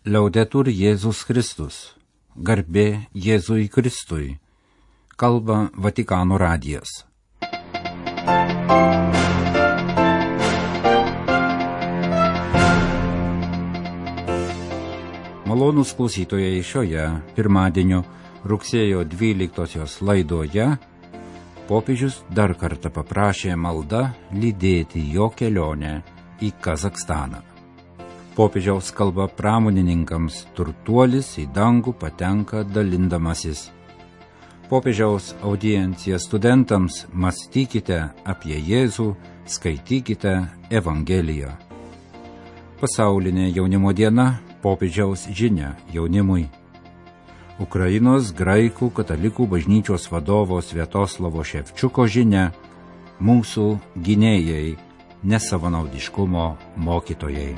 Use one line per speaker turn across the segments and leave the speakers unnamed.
Liaudetur Jėzus Kristus. Garbė Jėzui Kristui. Kalba Vatikano radijas. Malonūs klausytojai, šioje pirmadienio rugsėjo 12 laidoje popiežius dar kartą paprašė malda lydėti jo kelionę į Kazachstaną. Popiežiaus kalba pramonininkams turtuolis į dangų patenka dalindamasis. Popiežiaus audiencija studentams: mąstykite apie Jėzų, skaitykite Evangeliją. Pasaulinė jaunimo diena, popiežiaus žinia jaunimui. Ukrainos graikų katalikų bažnyčios vadovo Sviatoslavo Ševčiuko žinia: mūsų gynėjai, nesavanaudiškumo mokytojai.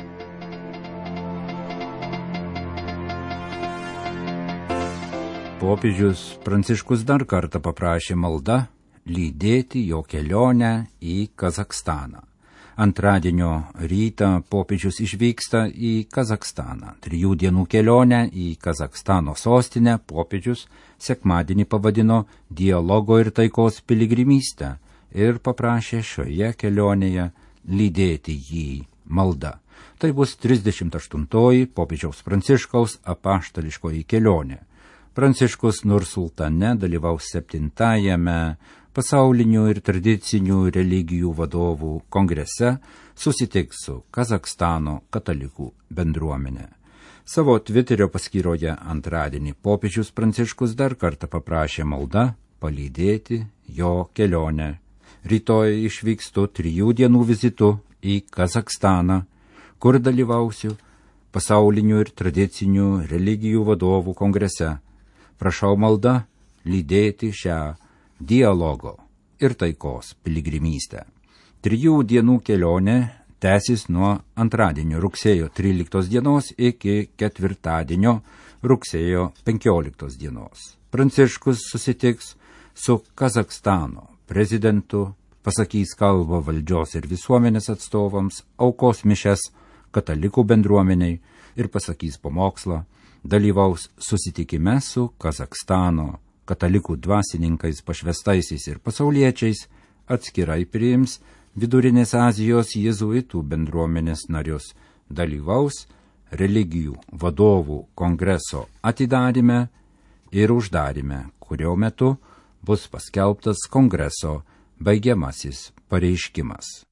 Popiežius Pranciškus dar kartą paprašė malda lydėti jo kelionę į Kazachstaną. Antradienio rytą popiežius išvyksta į Kazachstaną. 3 dienų kelionę į Kazachstano sostinę popiežius sekmadienį pavadino dialogo ir taikos piligrimystę ir paprašė šioje kelionėje lydėti jį malda. Tai bus 38-oji popiežiaus Pranciškaus apaštališkoji kelionė. Pranciškus Nursultane dalyvaus 7-ajame pasaulinių ir tradicinių religijų vadovų kongrese, susitiks su Kazachstano katalikų bendruomenė. Savo Twitterio paskyroje antradienį popiežius Pranciškus dar kartą paprašė malda palydėti jo kelionę. Rytoj išvykstu 3 dienų vizitu į Kazachstaną, kur dalyvausiu pasaulinių ir tradicinių religijų vadovų kongrese. Prašau malda lydėti šią dialogo ir taikos piligrimystę. 3 dienų kelionė tęsis nuo antradienio rugsėjo 13 dienos iki ketvirtadienio rugsėjo 15 dienos. Pranciškus susitiks su Kazachstano prezidentu, pasakys kalbą valdžios ir visuomenės atstovams, aukos mišias katalikų bendruomeniai ir pasakys pamokslą. Dalyvaus susitikime su Kazachstano katalikų dvasininkais, pašvestaisiais ir pasauliečiais, atskirai priims Vidurinės Azijos jėzuitų bendruomenės narius, dalyvaus religijų vadovų kongreso atidaryme ir uždaryme, kurio metu bus paskelbtas kongreso baigiamasis pareiškimas.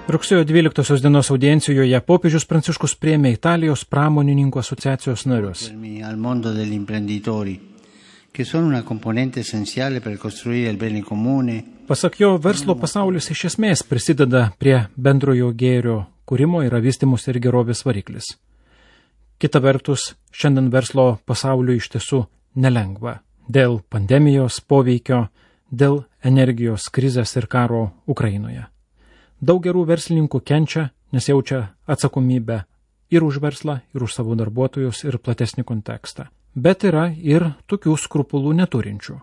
Rugsėjo 12 dienos audiencijoje popiežius Pranciškus priėmė Italijos pramonininkų asociacijos narius.
Al mondo degli imprenditori, che sono una componente essenziale per costruire il bene comune.
Pasak jo, verslo pasaulis iš esmės prisideda prie bendrojo gėrio kūrimo ir vystymosi ir gerovės variklis. Kita vertus, šiandien verslo pasauliui iš tiesų nelengva dėl pandemijos poveikio, dėl energijos krizės ir karo Ukrainoje. Daug gerų verslininkų kenčia, nes jaučia atsakomybę ir už verslą, ir už savo darbuotojus, ir platesnį kontekstą. Bet yra ir tokių skrupulų neturinčių.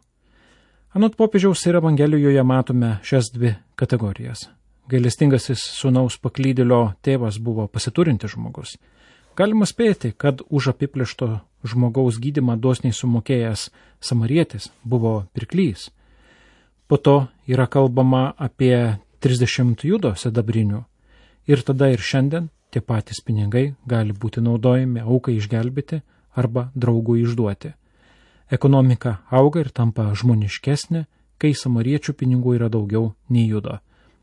Anot popiežiaus ir Evangelijoje matome šias 2 kategorijas. Gailestingasis sūnaus paklydėlio tėvas buvo pasiturintis žmogus. Galima spėti, kad už apiplėšto žmogaus gydymą dosniai sumokėjęs samarietis buvo pirklys. Po to yra kalbama apie 30 judo sidabrinių ir tada ir šiandien tie patys pinigai gali būti naudojami aukai išgelbėti arba draugui išduoti. Ekonomika auga ir tampa žmoniškesnė, kai samariečių pinigų yra daugiau nei judo,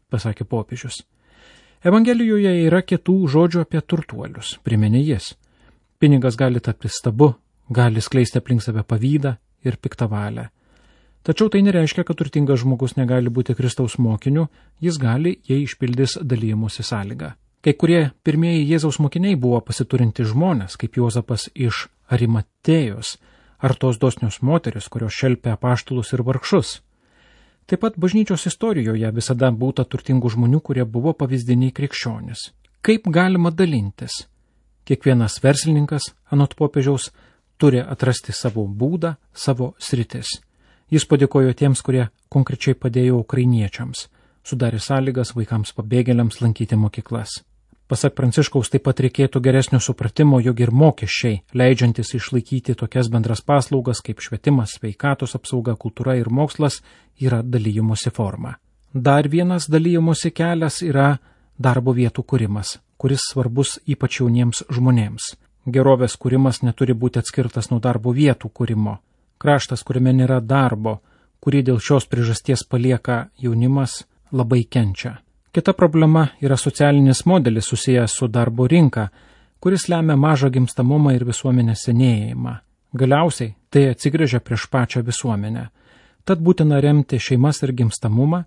pasakė popiežius. Evangelijoje yra kitų žodžių apie turtuolius, priminė jis. Pinigas gali tapti stabu, gali skleisti aplink save pavydą ir piktą valią. Tačiau tai nereiškia, kad turtingas žmogus negali būti Kristaus mokiniu, jis gali, jei išpildys dalymosi sąlygą. Kai kurie pirmieji Jėzaus mokiniai buvo pasiturinti žmonės, kaip Juozapas iš Arimatėjos, ar tos dosnios moteris, kurios šelpė apaštalus ir vargšus. Taip pat bažnyčios istorijoje visada būta turtingų žmonių, kurie buvo pavyzdiniai krikščionys. Kaip galima dalintis? Kiekvienas verslininkas, anot popiežiaus, turi atrasti savo būdą, savo sritis. Jis padėkojo tiems, kurie konkrečiai padėjo ukrainiečiams, sudarė sąlygas vaikams pabėgėliams lankyti mokyklas. Pasak Pranciškaus taip pat reikėtų geresnio supratimo, jog ir mokesčiai, leidžiantis išlaikyti tokias bendras paslaugas kaip švietimas, sveikatos apsauga, kultūra ir mokslas, yra dalymosi forma. Dar vienas dalymosi kelias yra darbo vietų kūrimas, kuris svarbus ypač jauniems žmonėms. Gerovės kūrimas neturi būti atskirtas nuo darbo vietų kūrimo. Kraštas, kuriame nėra darbo, kurį dėl šios priežasties palieka jaunimas, labai kenčia. Kita problema yra socialinis modelis susijęs su darbo rinka, kuris lemia mažą gimstamumą ir visuomenės senėjimą. Galiausiai tai atsigręžia prieš pačią visuomenę. Tad būtina remti šeimas ir gimstamumą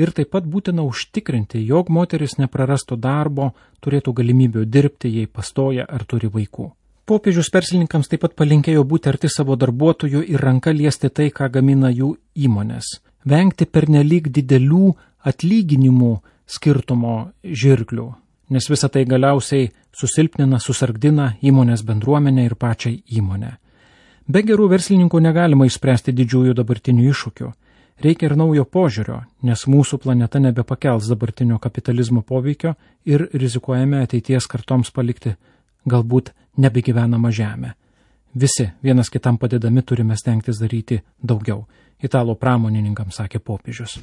ir taip pat būtina užtikrinti, jog moteris neprarastų darbo, turėtų galimybių dirbti, jei pastoja ar turi vaikų. Popiežius verslininkams taip pat palinkėjo būti arti savo darbuotojų ir ranka liesti tai, ką gamina jų įmonės. Vengti pernelyg didelių atlyginimų skirtumo žirklių, nes visa tai galiausiai susilpnina, susargdina įmonės bendruomenę ir pačią įmonę. Be gerų verslininkų negalima išspręsti didžiųjų dabartinių iššūkių. Reikia ir naujo požiūrio, nes mūsų planeta nebepakels dabartinio kapitalizmo poveikio ir rizikuojame ateities kartoms palikti galbūt nebegyvenamą žemę. Visi vienas kitam padedami turime stengtis daryti daugiau. Italų pramonininkams sakė popiežius.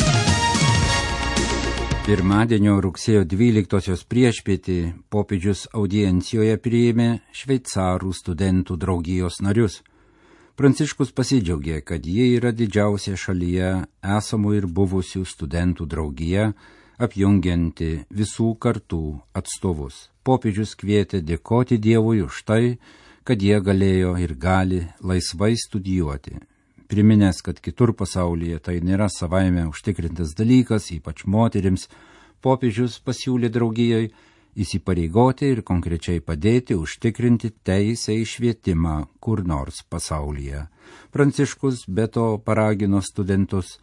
Pirmadienio rugsėjo 12-osios priešpietį popiežius audiencijoje priėmė šveicarų studentų draugijos narius. Pranciškus pasidžiaugė, kad jie yra didžiausia šalyje esamų ir buvusių studentų draugija, apjungianti visų kartų atstovus. Popiežius kvietė dėkoti Dievui už tai, kad jie galėjo ir gali laisvai studijuoti. Priminęs, kad kitur pasaulyje tai nėra savaime užtikrintas dalykas, ypač moterims, popiežius pasiūlė draugijai įsipareigoti ir konkrečiai padėti užtikrinti teisę į švietimą kur nors pasaulyje. Pranciškus be to paragino studentus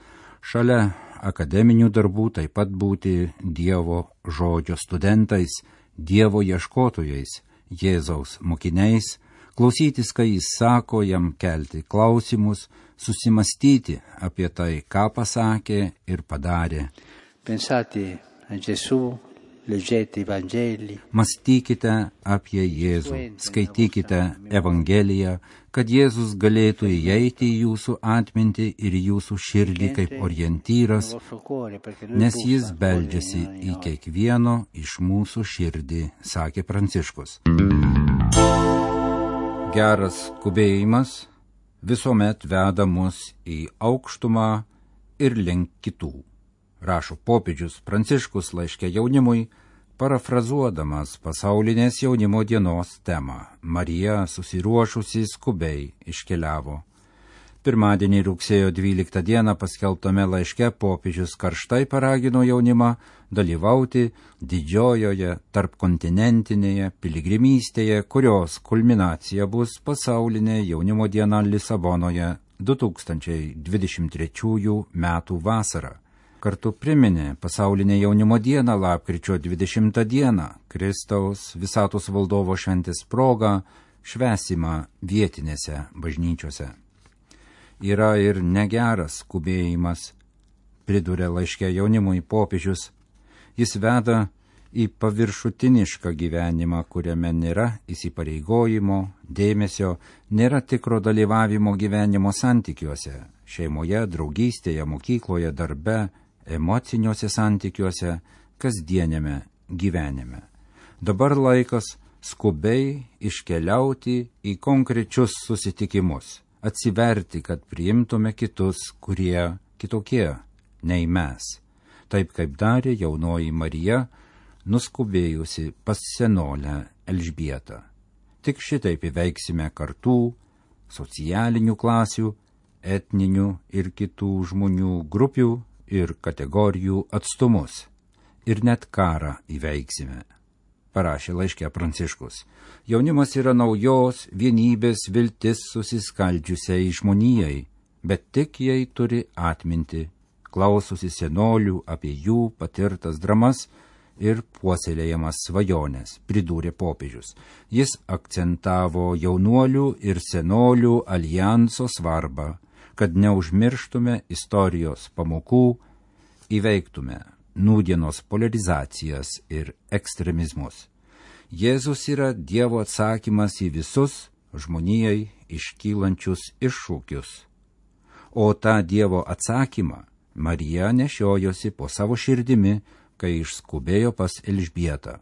šalia akademinių darbų taip pat būti Dievo žodžio studentais, Dievo ieškotojais, Jėzaus mokiniais, klausytis, kai jis sako, jam kelti klausimus, susimastyti apie tai, ką pasakė ir padarė.
Pensate a Gesù, leggete i Vangeli.
Mąstykite apie Jėzų, skaitykite Evangeliją, kad Jėzus galėtų įeiti į jūsų atmintį ir jūsų širdį kaip orientyras, nes jis beldžiasi į kiekvieno iš mūsų širdį, sakė Pranciškus. Geras skubėjimas visuomet veda mus į aukštumą ir link kitų, rašo popiežius Pranciškus laiške jaunimui, parafrazuodamas pasaulinės jaunimo dienos temą. Marija susiruošusi skubiai iškeliavo. Pirmadienį rugsėjo 12 dieną paskelbtame laiške popiežius karštai paragino jaunimą dalyvauti didžiojoje tarpkontinentinėje piligrimystėje, kurios kulminacija bus pasaulinė jaunimo diena Lisabonoje 2023 metų vasarą. Kartu priminė pasaulinę jaunimo dieną lapkričio 20 dieną, Kristaus visatos valdovo šventės progą, švęsimą vietinėse bažnyčiose. Yra ir negeras skubėjimas, priduria laiške jaunimui popiežius. Jis veda į paviršutinišką gyvenimą, kuriame nėra įsipareigojimo, dėmesio, nėra tikro dalyvavimo gyvenimo santykiuose, šeimoje, draugystėje, mokykloje, darbe, emociniuose santykiuose, kasdienėme gyvenime. Dabar laikas skubiai iškeliauti į konkrečius susitikimus, atsiverti, kad priimtume kitus, kurie kitokie nei mes, taip kaip darė jaunoji Marija, nuskubėjusi pas senolę Elžbietą. Tik šitaip įveiksime kartų, socialinių klasių, etninių ir kitų žmonių grupių ir kategorijų atstumus. Ir net karą įveiksime, parašė laiške Pranciškus. Jaunimas yra naujos vienybės viltis susiskaldžiusiai žmonijai, bet tik jei turi atminti, klausosi senolių apie jų patirtas dramas ir puoselėjamas svajonės, pridūrė popiežius. Jis akcentavo jaunuolių ir senolių aljanso svarbą, kad neužmirštume istorijos pamokų, įveiktume nūdienos polarizacijas ir ekstremizmus. Jėzus yra Dievo atsakymas į visus žmonijai iškylančius iššūkius. O tą Dievo atsakymą Marija nešiojosi po savo širdimi, kai išskubėjo pas Elžbietą.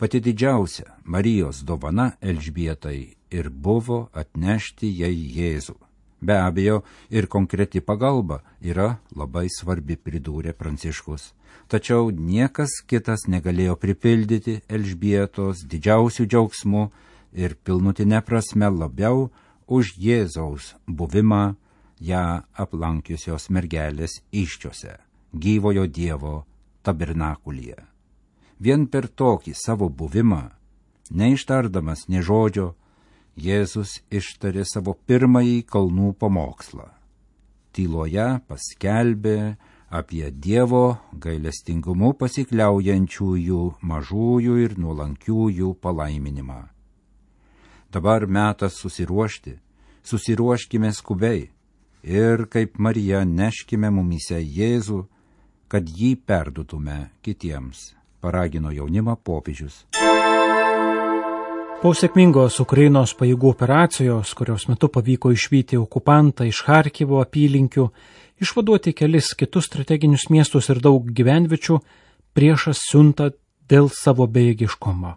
Pati didžiausia Marijos dovana Elžbietai ir buvo atnešti jai Jėzų. Be abejo, ir konkreti pagalba yra labai svarbi, pridūrė Pranciškus. Tačiau niekas kitas negalėjo pripildyti Elžbietos didžiausių džiaugsmų ir pilnutinė prasme labiau už Jėzaus buvimą ją aplankiusios mergelės įsčiose, gyvojo Dievo tabernakulyje. Vien per tokį savo buvimą, neištardamas nė žodžio, Jėzus ištarė savo pirmąjį kalnų pamokslą. Tyloje paskelbė apie Dievo gailestingumu pasikliaujančiųjų mažųjų ir nuolankiųjų palaiminimą. Dabar metas susiruošti, susiruoškime skubiai ir kaip Marija neškime mumyse Jėzų, kad jį perdutume kitiems, paragino jaunimą popiežius.
Po sėkmingos Ukrainos pajėgų operacijos, kurios metu pavyko išvyti okupantą iš Charkivo apylinkių, išvaduoti kelis kitus strateginius miestus ir daug gyvenviečių, priešas siunta dėl savo bejėgiškumo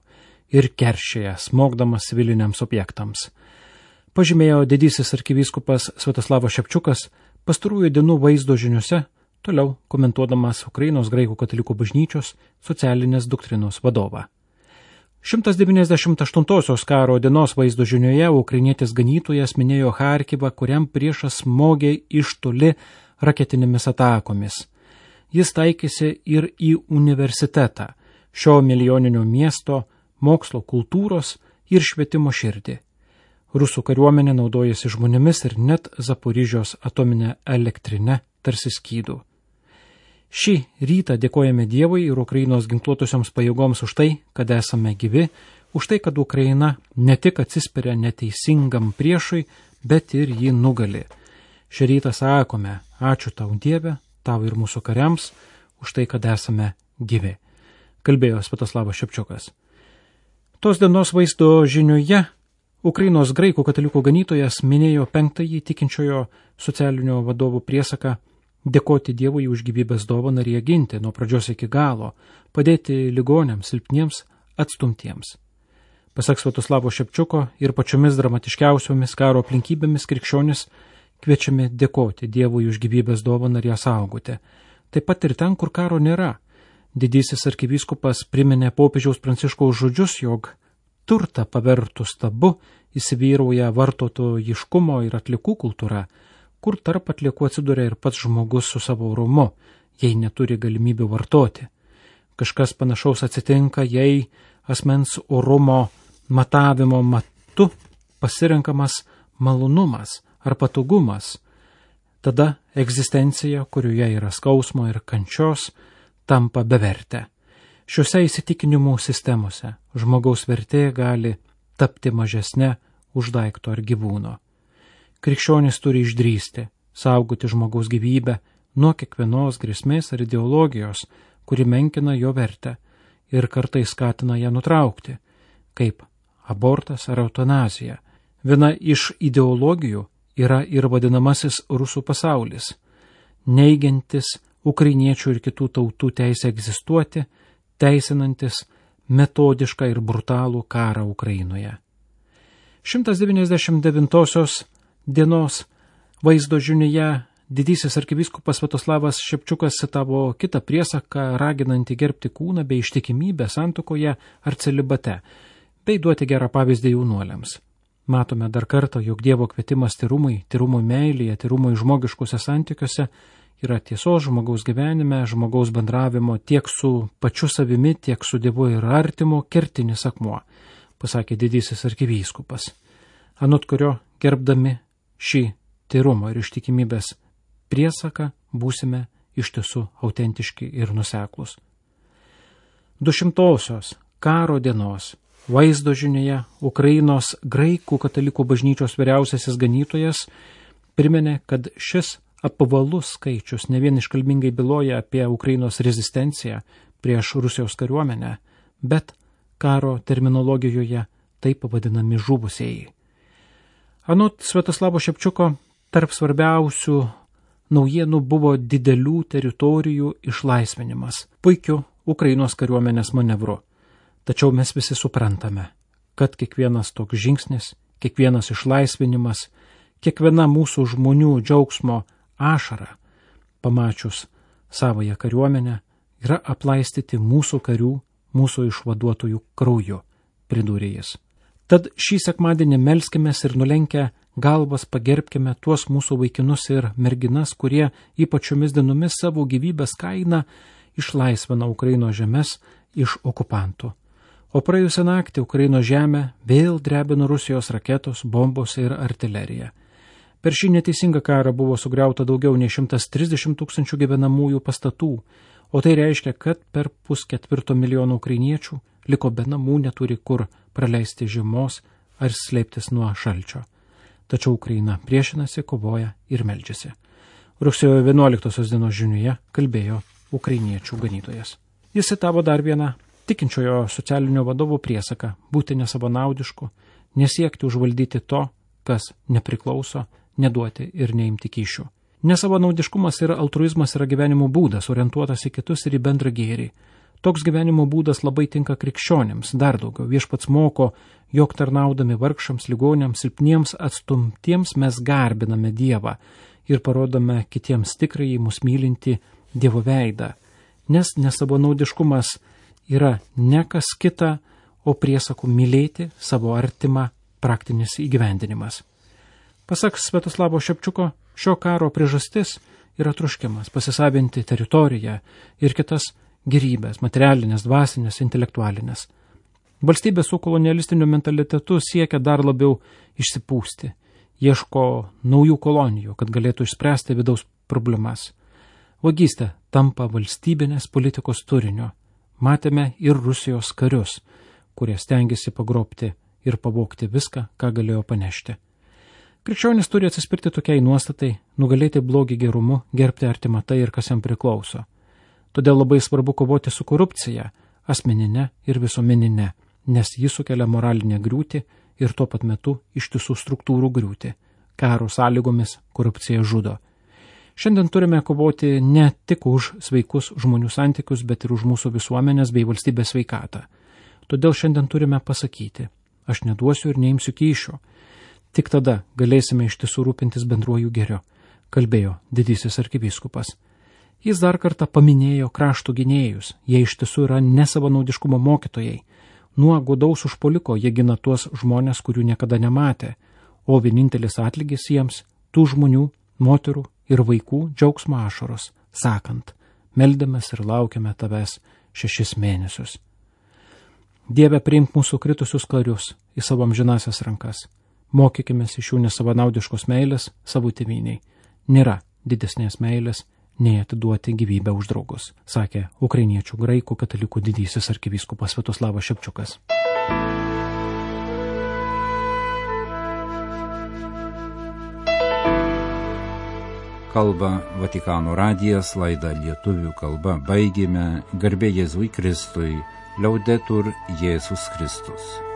ir keršėja, smogdamas civiliniams objektams. Pažymėjo didysis arkivyskupas Sviatoslavas Šepčiukas pastarųjų dienų vaizdo žiniuose, toliau komentuodamas Ukrainos graikų katalikų bažnyčios socialinės doktrinos vadovą. 198 karo dienos vaizdo žinioje ukrainietis ganytojas minėjo Charkivą, kuriam priešas smogė iš toli raketinėmis atakomis. Jis taikėsi ir į universitetą, šio milijoninio miesto, mokslo, kultūros ir švietimo širdį. Rusų kariuomenė naudojasi žmonėmis ir net Zaporižios atominę elektrinę tarsi skydų. Šį rytą dėkojame Dievui ir Ukrainos ginkluotosioms pajėgoms už tai, kad esame gyvi, už tai, kad Ukraina ne tik atsispiria neteisingam priešui, bet ir jį nugali. Šį rytą sakome, ačiū tau Dieve, tau ir mūsų kariams, už tai, kad esame gyvi, kalbėjo Sviatoslavas Šepčiukas. Tos dienos vaizdo žinioje Ukrainos graikų katalikų ganytojas minėjo 5-ąjį tikinčiojo socialinio vadovo priesaką dėkoti Dievui už gyvybės dovaną ir ją ginti nuo pradžios iki galo, padėti ligoniams, silpniems, atstumtiems. Pasak Sviatoslavo Šepčiuko ir pačiomis dramatiškiausiomis karo aplinkybėmis krikščionis kviečiami dėkoti Dievui už gyvybės dovaną ir ją saugoti. Taip pat ir ten, kur karo nėra. Didysis arkivyskupas priminė popiežiaus Pranciškaus žodžius, jog turtą pavertus tabu įsivyrauja vartotojiškumo ir atliekų kultūra, kur tarp atliekų atsiduria ir pats žmogus su savo orumu, jei neturi galimybių vartoti. Kažkas panašaus atsitinka, jei asmens orumo matavimo matu pasirenkamas malonumas ar patogumas. Tada egzistencija, kurioje yra skausmo ir kančios, tampa bevertė. Šiuose įsitikinimų sistemose žmogaus vertė gali tapti mažesnė už daikto ar gyvūno. Krikščionis turi išdrįsti, saugoti žmogaus gyvybę nuo kiekvienos grėsmės ar ideologijos, kuri menkina jo vertę ir kartais skatina ją nutraukti, kaip abortas ar eutanazija. Viena iš ideologijų yra ir vadinamasis rusų pasaulis, neigiantis ukrainiečių ir kitų tautų teisę egzistuoti, teisinantis metodišką ir brutalų karą Ukrainoje. 199 dienos vaizdo žinioje didysis arkivyskupas Sviatoslavas Šepčiukas citavo kitą priesaką, raginantį gerbti kūną bei ištikimybę santuokoje ar celibate, bei duoti gerą pavyzdį jaunuoliams. Matome dar kartą, jog Dievo kvietimas tyrumui meilėje, tyrumui žmogiškuose santykiuose yra tiesos žmogaus gyvenime, žmogaus bendravimo tiek su pačiu savimi, tiek su Dievu ir artimu kertinis akmuo, pasakė didysis arkivyskupas, anot kurio gerbdami šį tyrumo ir ištikimybės priesaką būsime iš tiesų autentiški ir nuseklus. 200-osios karo dienos vaizdo žinioje Ukrainos graikų katalikų bažnyčios vyriausiasis ganytojas priminė, kad šis apvalus skaičius ne vien iškalbingai byloja apie Ukrainos rezistenciją prieš Rusijos kariuomenę, bet karo terminologijoje taip pavadinami žuvusieji. Anot Sviatoslavo Šepčiuko, tarp svarbiausių naujienų buvo didelių teritorijų išlaisvinimas, puikiu Ukrainos kariuomenės manevru. Tačiau mes visi suprantame, kad kiekvienas toks žingsnis, kiekvienas išlaisvinimas, kiekviena mūsų žmonių džiaugsmo ašara, pamačius savąją kariuomenę, yra aplaistyti mūsų karių, mūsų išvaduotojų krauju, pridūrė jis. Tad šį sekmadienį melskimės ir nulenkę galvas pagerbkime tuos mūsų vaikinus ir merginas, kurie ypač šiomis dienomis savo gyvybės kainą išlaisvina Ukrainos žemes iš okupantų. O praėjusią naktį Ukrainos žemę vėl drebino Rusijos raketos, bombos ir artilerija. Per šį neteisingą karą buvo sugriauta daugiau nei 130 000 gyvenamųjų pastatų, o tai reiškia, kad per 3,4 milijono ukrainiečių liko be namų, neturi kur praleisti žiemos ar slėptis nuo šalčio. Tačiau Ukraina priešinasi, kovoja ir meldžiasi. Rugsėjo 11 dienos žiniuje kalbėjo ukrainiečių ganytojas. Jis citavo dar vieną tikinčiojo socialinio vadovo priesaką būti nesavanaudišku, nesiekti užvaldyti to, kas nepriklauso, neduoti ir neimti kyšių. Nesavanaudiškumas ir altruizmas yra gyvenimo būdas, orientuotas į kitus ir į bendrą gėrį. Toks gyvenimo būdas labai tinka krikščionėms, dar daugiau. Viešpats moko, jog tarnaudami vargšams, ligoniams, silpniems, atstumtiems mes garbiname Dievą ir parodome kitiems tikrąjį mus mylinti Dievo veidą. Nes nesavanaudiškumas yra ne kas kita, o priesakų mylėti savo artimą praktinis įgyvendinimas. Pasak Sviatoslavo Šepčiuko, šio karo priežastis yra troškimas pasisavinti teritoriją ir kitas gerybės, materialinės, dvasinės, intelektualinės. Valstybė su kolonialistiniu mentalitetu siekia dar labiau išsipūsti, ieško naujų kolonijų, kad galėtų išspręsti vidaus problemas. Vagystė tampa valstybinės politikos turinio. Matėme ir Rusijos karius, kurie stengiasi pagrobti ir pavogti viską, ką galėjo panešti. Krikščionis turi atsispirti tokiai nuostatai, nugalėti blogį gerumu, gerbti artimą tai ir kas jam priklauso. Todėl labai svarbu kovoti su korupcija, asmeninė ir visuomeninė, nes ji sukelia moralinę griūtį ir tuo pat metu ištisų struktūrų griūtį. Karo sąlygomis korupcija žudo. Šiandien turime kovoti ne tik už sveikus žmonių santykius, bet ir už mūsų visuomenės bei valstybės sveikatą. Todėl šiandien turime pasakyti, aš neduosiu ir neimsiu kyšio. Tik tada galėsime iš tiesų rūpintis bendruoju gėriu, kalbėjo didysis arkivyskupas. Jis dar kartą paminėjo krašto gynėjus, jie iš tiesų yra nesavanaudiškumo mokytojai. Nuo godaus užpuoliko jie gina tuos žmonės, kurių niekada nematė, o vienintelis atlygis jiems tų žmonių, moterų ir vaikų džiaugsmo ašaros, sakant, meldėmės ir laukiame tavęs 6 mėnesius. Dieve, priimk mūsų kritusius karius į savo amžinasias rankas. Mokykimės iš jų nesavanaudiškos meilės savo tėvyniai. Nėra didesnės meilės, nei atiduoti gyvybę už draugus, sakė ukrainiečių graikų katalikų didysis arkivyskupas Sviatoslavas Šepčiukas.
Kalba Vatikano radijas, laidą lietuvių kalba baigėme. Garbė Jėzui Kristui, Liaudetur Jėzus Kristus.